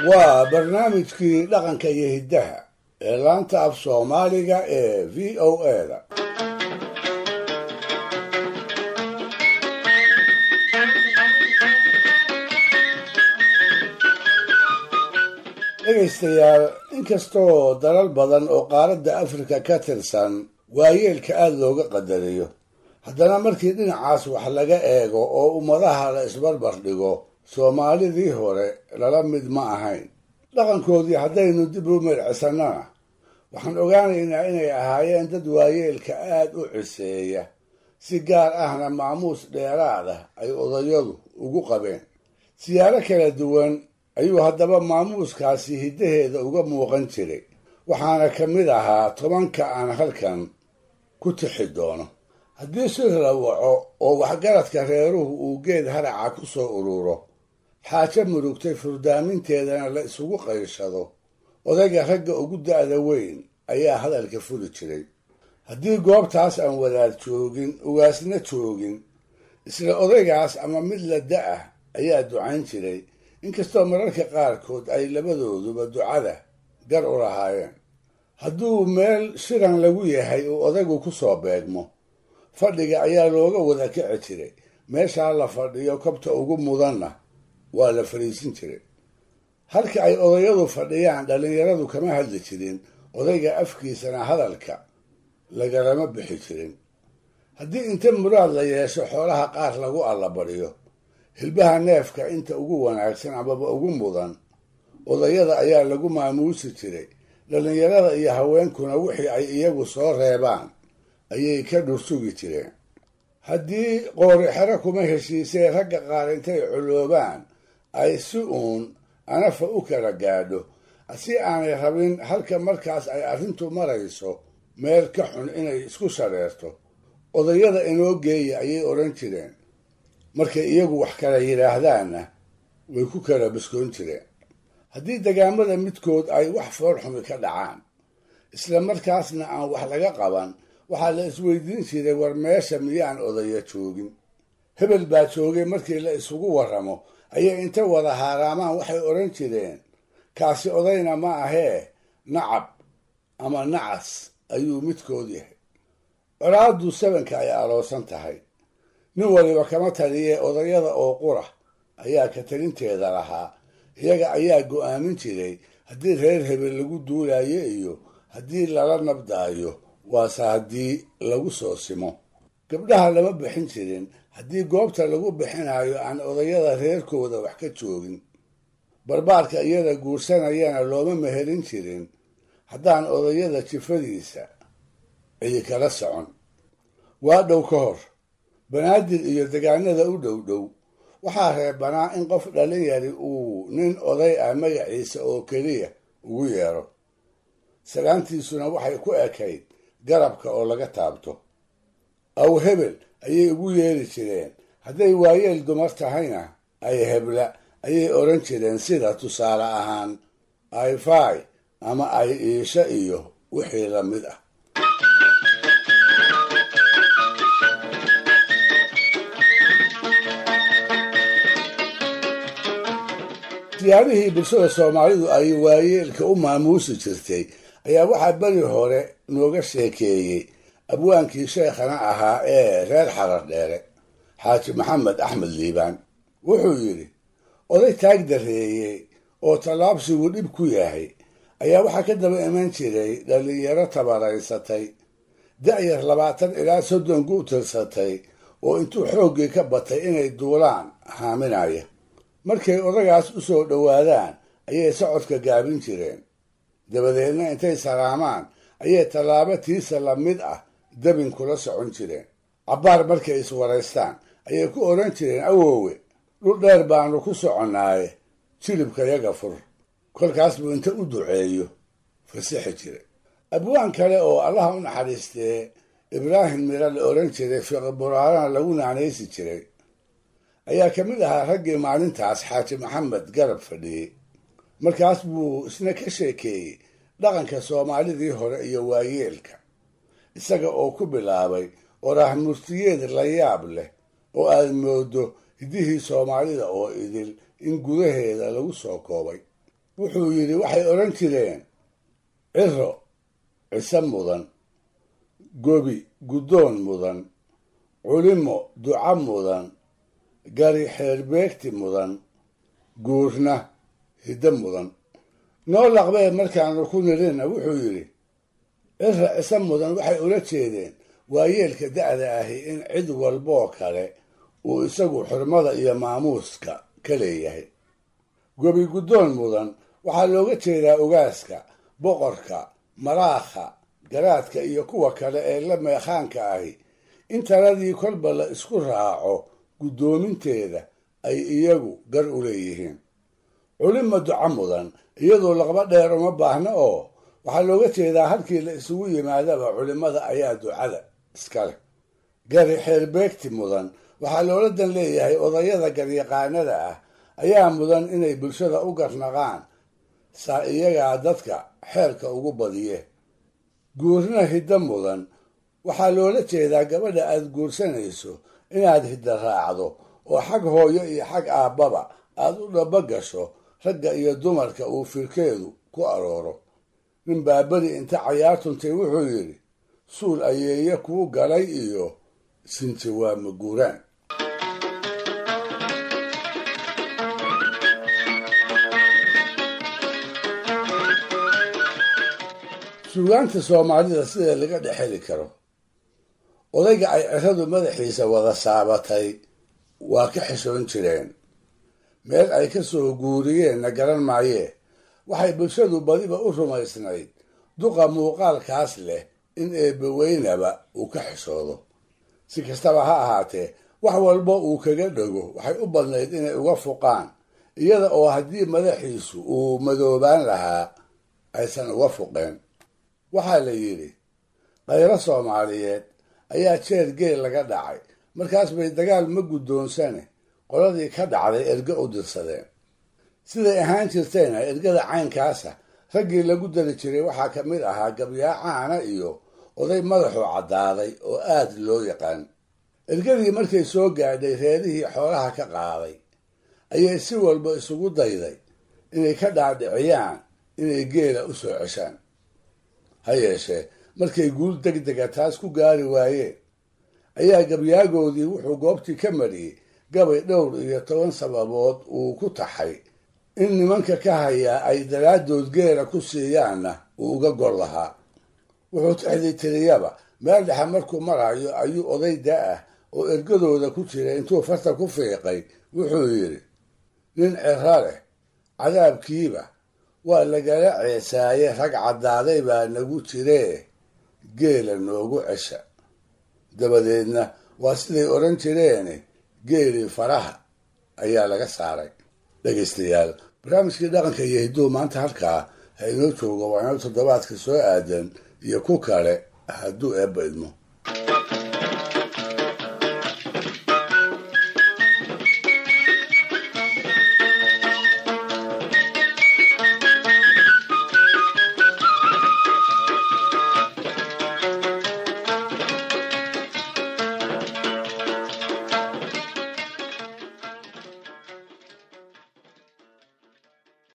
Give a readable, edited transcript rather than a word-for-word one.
Waa barnaamijkii dhaqanka iyo hiddaha ee laanta af Soomaaliga ee VOA-da. Dhegaystayaal, inkastoo dalal badan oo qaaradda Afrika ka tirsan waayeelka aada looga qadariyo, haddana markii dhinacaas wax laga eego oo ummadaha la isbarbar dhigo, Soomaalidii hore lala mid ma ahayn. Dhaqankoodii haddaynu dib u mircisannana, waxaan ogaanaynaa inay ahaayeen dad waayeelka aada u ciseeya, si gaar ahna maamuus dheeraad ah ay odayadu ugu qabeen. Siyaaro kala duwan ayuu haddaba maamuuskaasi hiddaheeda uga muuqan jiray, waxaana ka mid ahaa 10-ka aan halkan ku tixi doono. Haddii shir la waco oo waxgaradka reeruhu uu geed haraca ku soo ururo, xaajo murugtay furdaaminteedana la isugu qayshado, odayga ragga ugu da'da weyn ayaa hadalka furi jiray. Haddii goobtaas aan wadaad joogin, ugaasna joogin, isla odaygaas ama mid la da'ah ayaa ducayn jiray, inkastoo mararka qaarkood ay labadooduba ducada gar u lahaayeen. Hadduu meel shiran lagu yahay uu odaygu ku soo beegmo, fadhiga ayaa looga wada kici jiray. Meeshaa la fadhiyo kobta ugu mudanna waa la fadhiisin jiray. Halka ay odayadu fadhiyaan dhallinyaradu kama hadli jirin, odayga afkiisana hadalka lagalama bixi jirin. Haddii inta muraad la yeesho xoolaha qaar lagu allabadhiyo, hilbaha neefka inta ugu wanaagsan amaba ugu mudan odayada ayaa lagu maamuusi jiray. Dhallinyarada iyo haweenkuna wixii ay iyagu soo reebaan ayay ka dhursugi jireen. Haddii qoorixero kuma heshiisee ragga qaar intay culoobaan ay si uun anafa u kala gaadho, si aanay rabin halka markaas ay arrintu marayso meel ka xun inay isku shareerto, odayada inoo geeya ayay odhan jireen. Markay iyagu wax kala yidhaahdaanna way ku kala biskoon jireen. Haddii degaamada midkood ay wax foolxumi ka dhacaan, isla markaasna aan wax laga qaban, waxaa la isweydiin jiray, war meesha miyaan odaya joogin? Hebel baa joogay. Markii la isugu warramo ayay inta wada haaraamaan waxay odhan jireen, kaasi odayna ma ahee, nacab ama nacas ayuu midkood yahay. Colaaddu sabanka ay aloosan tahay nin waliba kama taliyee, odayada oo qura ayaa ka talinteeda lahaa. Iyaga ayaa go'aamin jiray haddii reer hebel lagu duulayo iyo haddii lala nabdaayo, waase haddii lagu soo simo. Gabdhaha lama bixin jirin haddii goobta lagu bixinayo aan odayada reerkooda wax ka joogin. Barbaarka iyada guursanayana looma mehelin jirin haddaan odayada jifadiisa cidi kala socon. Waa dhow ka hor Banaadir iyo degaanada u dhow dhow waxaa reebanaa in qof dhalinyari uu nin oday ah magaciisa oo keliya ugu yeero. Salaantiisuna waxay ku ekayd garabka oo laga taabto. Aw hebel ayay ugu yeeri jireen. Hadday waayeel dumar tahayna, ay hebla ayay odhan jireen, sida tusaale ahaan ay faay ama ay iisha iyo wixii la mid ah. Siyaabihii bulshada Soomaalidu ay waayeelka u maamuusi jirtay ayaa waxaa beri hore nooga sheekeeyey abwaankii sheekhana ahaa ee reer Xarar Dheere, Xaaji Maxamed Axmed Liibaan. Wuxuu yidhi, oday taag dareeyey oo tallaabsigu dhib ku yahay ayaa waxaa ka daba iman jiray dhallinyaro tabaraysatay, da'yar 20 ilaa 30 ku tirsatay, oo intuu xooggii ka batay inay duulaan haaminaya. Markay odagaas u soo dhowaadaan ayay socodka gaabin jireen, dabadeedna intay salaamaan ayay tallaabo tiisa la mid ah dabin kula socon jireen. Cabbaar markay iswaraystaan ayay ku odhan jireen, awoowe, dhul dheer baanu ku soconnaaye, jilibka yaga fur. Kolkaas buu inta u duceeyo fasixi jiray. Abwaan kale oo Allaha u naxariistee Ibraahim Mira la odhan jiray, Fiqi Buraarana lagu naanaysi jiray, ayaa ka mid ahaa raggii maalintaas Xaaji Maxamed garab fadhiyey. Markaas buu isna ka sheekeeyey dhaqanka Soomaalidii hore iyo waayeelka, isaga oo ku bilaabay oraah murtiyeed la yaab leh oo aad moodo hiddihii Soomaalida oo idil in gudaheeda lagu soo koobay. Wuxuu yidhi waxay odhan jireen ciro cise mudan, gobi guddoon mudan, culimo duca mudan, gari xeerbeegti mudan, guurna hiddo mudan. Noo laqbee markaanu ku nirina wuxuu yidhi cira cise mudan waxay ula jeedeen waayeelka da'da ahi in cid walboo kale uu isagu xurmada iyo maamuuska ka leeyahay. Gobi guddoon mudan waxaa looga jeedaa ogaaska, boqorka, maraakha, garaadka iyo kuwa kale ee la meekhaanka ahi in taladii kolba la isku raaco guddoominteeda ay iyagu gar u leeyihiin. Culimo duca mudan iyadoo laqba dheer uma baahna oo waxaa looga jeedaa halkii la isugu yimaadaba culimada ayaa ducada iska leh. Gari xeerbeegti mudan waxaa loola dan leeyahay odayada garyaqaanada ah ayaa mudan inay bulshada u garnaqaan, saa iyagaa dadka xeerka ugu badiye. Guurna hiddo mudan waxaa loola jeedaa gabadha aad guursanayso inaad hidda raacdo oo xag hooyo iyo xag aabbaba aad u dhaba gasho ragga iyo dumarka uu firkeedu ku arooro. Nin baaberi inta cayaartuntay wuxuu yidhi suul ayeeye kuu galay iyo sinti waa maguuraan. Suugaanta Soomaalida sida laga dhex heli karo odayga ay ciradu madaxiisa wada saabatay waa ka xishoon jireen, meel ay ka soo guuriyeenna garan maayee. Waxay bulshadu badiba u rumaysnayd duqa muuqaalkaas leh in eebbaweynaba uu ka xishoodo. Si kastaba ha ahaatee, wax walba uu kaga dhego waxay u badnayd inay uga fuqaan, iyada oo haddii madaxiisu uu madoobaan lahaa aysan uga fuqeen. Waxaa la yidhi khayro Soomaaliyeed ayaa jeer geel laga dhacay, markaas bay dagaal ma guddoonsane qoladii ka dhacday erge u dirsadeen. Siday ahaan jirtayna ergada caynkaasa raggii lagu dari jiray waxaa ka mid ahaa gabyaa caana iyo oday madaxu caddaaday oo aad loo yaqaan. Ergadii markay soo gaadhay reerihii xoolaha ka qaaday ayay si walba isugu dayday inay ka dhaadhiciyaan inay geela u soo ceshaan. Ha yeeshee markay guul degdega taas ku gaari waayeen ayaa gabyaagoodii wuxuu goobtii ka mariyey gabay dhowr iyo toban sababood uu ku taxay in nimanka ka hayaa ay daraaddood geela ku siiyaanna uu uga gol lahaa. Wuxuu tixdii tiriyaba meel dhexe markuu marayo ayuu oday da-ah oo ergadooda ku jira intuu farta ku fiiqay wuxuu yidhi nin ciro leh cadaabkiiba waa lagala ceesaaye, rag caddaaday baa nagu jiree geela noogu cesha. Dabadeedna waa siday odhan jireene geelii faraha ayaa laga saaray. Dhegaystayaal, barnaamijkii dhaqanka iyo hidduhu maanta halkaa ha inoo joogo. Waa inoo toddobaadka soo aadan iyo ku kale hadduu eebba idmo.